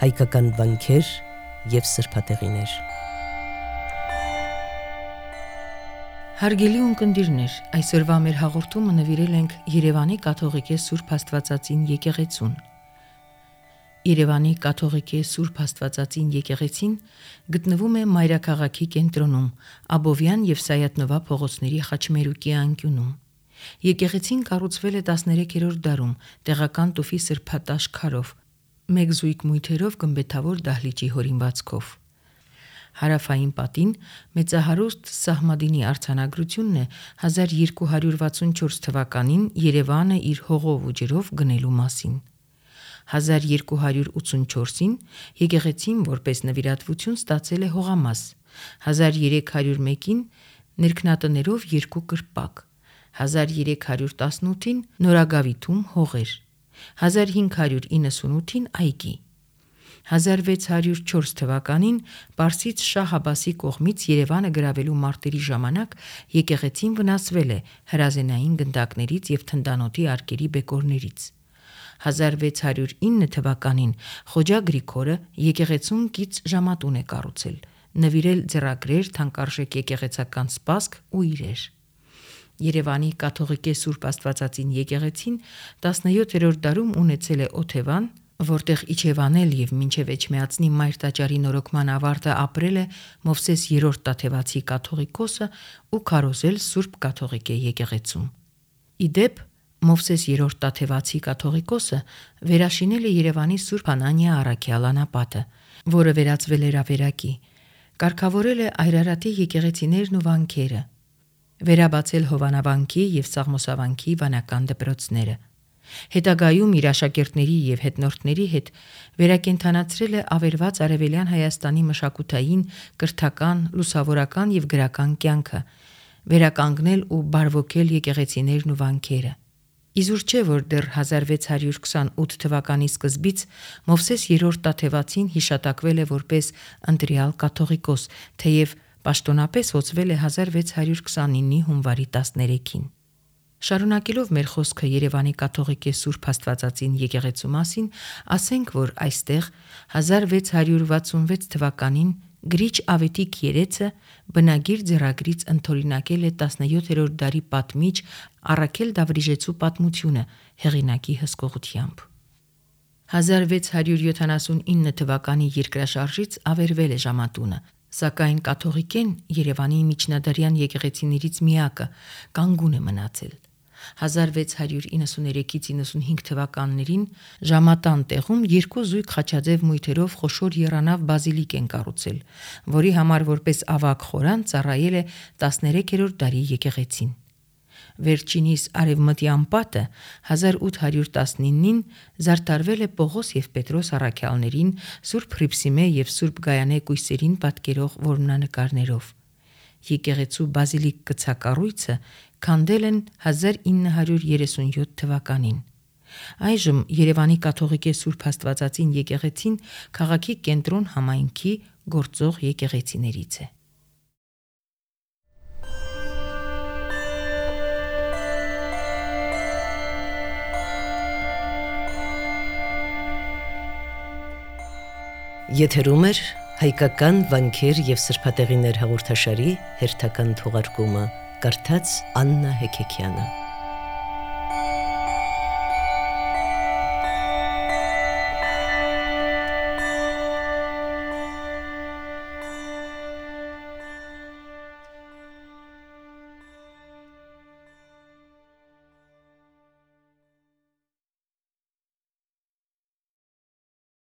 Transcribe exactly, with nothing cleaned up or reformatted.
հայկական վանքեր և սրբատեղիներ։ Հարգելի ունկնդիրներ, այսօրվա մեր հաղորդումը նվիրել ենք Երևանի կաթողիկե Սուրբ Աստվածածին եկեղեցուն։ Երևանի կաթողիկե Սուրբ Աստվածածին եկեղեցին գտնվում է մայրաքաղաքի կենտրոնում, Աբովյան և Սայաթ-Նովա փողոցների խաչմերուկի անկյունում։ Եկեղեցին կառուցվել է տասներեքերորդ դարում տեղական տուֆի սրբատաշ քարով, մեկ զույգ մույթերով գմբեթավոր դահլիճի հորինվածքով։ Հարավային պատին մեծահարուստ Սահմադինի արձանագրությունն է հազար երկու հարյուր վաթսունչորս թվականին Երևանը իր հողով ու ջրով գնելու մասին։ հազար երկու հարյուր ութսունչորսին եկեղեցին որպես նվիրատվություն ստացել է հողամաս, հազար երեք հարյուր մեկին ներքնատներով երկու կրպակ, հազար երեք հարյուր տասնութին նորագավիթում հողեր, հազար հինգ հարյուր իննսունութին այգի։ հազար վեց հարյուր չորս թվականին Պարսից շահ Աբասի կողմից Երևանը գրավելու մարտերի ժամանակ եկեղեցին վնասվել է հրազենային գնդակներից և թնդանոթի արկերի բեկորներից։ հազար վեց հարյուր ինը թվականին Խոջա Գրիգորը եկեղեցուն կից ժամատուն է կառուցել, նվիրել ձեռագրեր, թանկարժեք եկեղեցական սպասք ու իրեր։ Երևանի կաթողիկե Սուրբ Աստվածածին եկեղեցին տասնյոթերորդ դարում ունեցել է օթևան, որտեղ իջևանել և մինչև Էջմիածնի Մայր տաճարի նորոգման ավարտը ապրել է Մովսես երրորդ Տաթևացի կաթողիկոսը ու քարոզել Սուրբ կաթողիկե եկեղեցում։ Ի դեպ, Մովսես երրորդ Տաթևացի կաթողիկոսը վերաշինել է Երևանի Սուրբ Անանիա առաքյալ անապատը, որը վերածվել էր ավերակի, կարգավորել է Այրարատի եկեղեցիներն ու վանքերը, վերաբացել Հովանավանքի և Սաղմոսավանքի վանական դպրոցները։ Հետագայում իր աշակերտների և հետնորդների հետ վերակենդանացրել է ավերված Արևելյան Հայաստանի մշակութային, կրթական, լուսավորական և գրական կյանքը, վերականգնել ու բարվոքել եկեղեցիներն ու վանքերը։ Իզուր չէ, որ դեռ հազար վեց հարյուր քսանութ թվականի սկզբից Մովսես երրորդ Տաթևացին հիշատակվել է որպես ընտրյալ կաթողիկոս, թեև պաշտոնապես հոծվել է հազար վեց հարյուր քսանինի հունվարի տասներեքին։ Շարունակելով մեր խոսքը Երևանի կաթողիկե Սուրբ Աստվածածին եկեղեցու մասին, ասենք, որ այստեղ հազար վեց հարյուր վաթսունվեց թվականին գրիչ Ավետիք երեցը բնագիր ձեռագրից ընդօրինակել է տասնյոթերորդ դարի պատմիչ Առաքել Դավրիժեցու պատմությունը հեղինակի հսկողությամբ։ հազար վեց հարյուր յոթանասունինը թվականի երկրաշարժից ավերվել է ժամատունը, սակայն կաթողիկեն Երևանի միջնադարյան եկեղեցիներից միակը կանգուն է մնացել։ հազար վեց հարյուր իննսուներեքից իննսունհինգ թվականներին ժամատան տեղում երկու զույգ խաչաձև մույթերով խոշոր եռանավ բազիլիկ են կառուցել, որի համար որպես ավագ խորան ծառայել է տասներեքերորդ դարի եկեղեցին։ Վերջինիս արևմտյան պատը հազար ութ հարյուր տասնինին զարդարվել է Պողոս և Պետրոս առաքյալներին, Սուրբ Հռիփսիմե և Սուրբ Գայանե կույսերին պատկերող որմնանկարներով։ Եկեղեցու բազիլիկ կցակառույցը քանդել են հազար ինը հարյուր երեսունյոթ թվականին։ Այժմ Երևանի կաթողիկե Սուրբ Աստվածածին եկեղեցին քաղաքի կենտրոն համայնքի գործող եկեղեցիներից է։ Եթերում է հայկական վանքեր և սրբատեղիներ հաղորդաշարի հերթական թողարկումը, կարդաց Աննա Հեքեքյանը։